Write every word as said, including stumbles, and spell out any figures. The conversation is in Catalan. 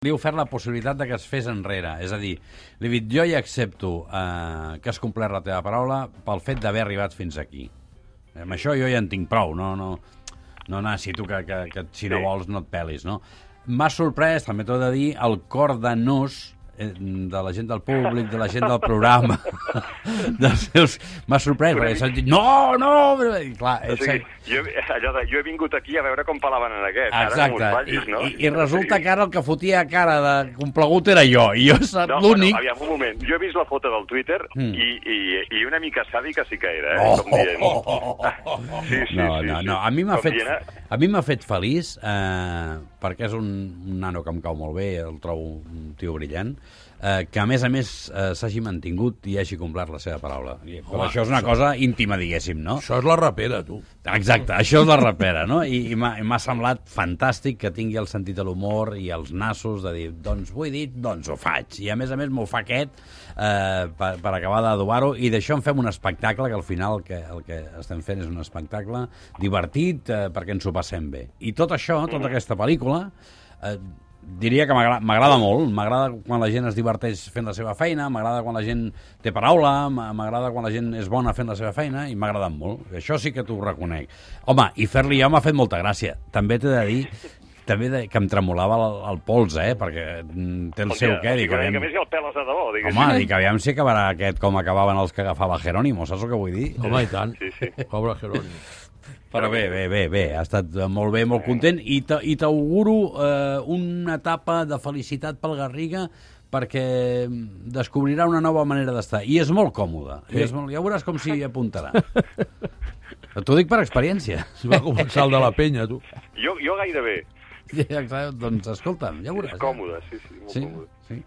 Li he ofert la possibilitat de que es fes enrere. És a dir, li he dit, jo ja accepto eh, que has complert la teva paraula pel fet d'haver arribat fins aquí. Amb això jo ja en tinc prou, no, no, no necessito que, que, que si no vols no et pelis, no? M'ha sorprès, també t'ho he de dir, el cor de nos de la gent del públic, de la gent del programa, dels seus... M'ha sorprès, perquè s'han dit, no, no! I, clar, o sigui, jo, allò de, jo he vingut aquí a veure com palaven en aquest. Exacte, ara, vallis, no? I, i, i resulta que ara el que fotia cara de complegut era jo, i jo soc no, l'únic... Bueno, aviam, un moment, jo he vist la foto del Twitter mm. i, i, i una mica sàdica sí que era, eh? Oh, com dient. Oh, oh, oh, oh. Sí, sí, no, sí, no, sí. no, a mi m'ha fet, a mi m'ha fet feliç, eh, perquè és un, un nano que em cau molt bé, el trobo un tio brillant, eh, que a més a més eh, s'hagi mantingut i hagi complert la seva paraula. I, però Home, això és una això... cosa íntima, diguéssim, no? Això és la rapera, tu. Exacte, això és la rapera, no? I, i m'ha semblat fantàstic que tingui el sentit de l'humor i els nassos de dir, doncs ho he dit, doncs ho faig. I a més a més m'ho fa aquest eh, per, per acabar d'adobar-ho, i d'això en fem un espectacle, que al final el que, el que estem fent és un espectacle divertit eh, perquè ens ho passem bé. I tot això, tota aquesta pel·lícula, eh, diria que m'agrada molt. M'agrada quan la gent es diverteix fent la seva feina, m'agrada quan la gent té paraula, m'agrada quan la gent és bona fent la seva feina, i m'ha agradat molt. Això sí que t'ho reconec. Home, i fer-li jo m'ha fet molta gràcia. També t'he de dir també de, que em tremolava el, el pols, eh? Perquè té el seu què. Dic, aviam... que més hi ha el pèl de debò, diguéssim. Home, dic, aviam si acabarà aquest com acabaven els que agafava Jerónimo, saps el que vull dir? Home, i tant. Sí, sí. Pobre Jerónimo. Però bé, bé, bé, bé, ha estat molt bé, molt content, i t'auguro eh, una etapa de felicitat pel Garriga, perquè descobrirà una nova manera d'estar, i és molt còmode, sí. I és molt... ja veuràs com s'hi apuntarà. T'ho dic per experiència. Si va començar el de la penya, tu. Jo, jo gairebé. Ja, doncs escolta'm, ja veuràs. És còmode, sí, sí, molt sí, còmode. Sí.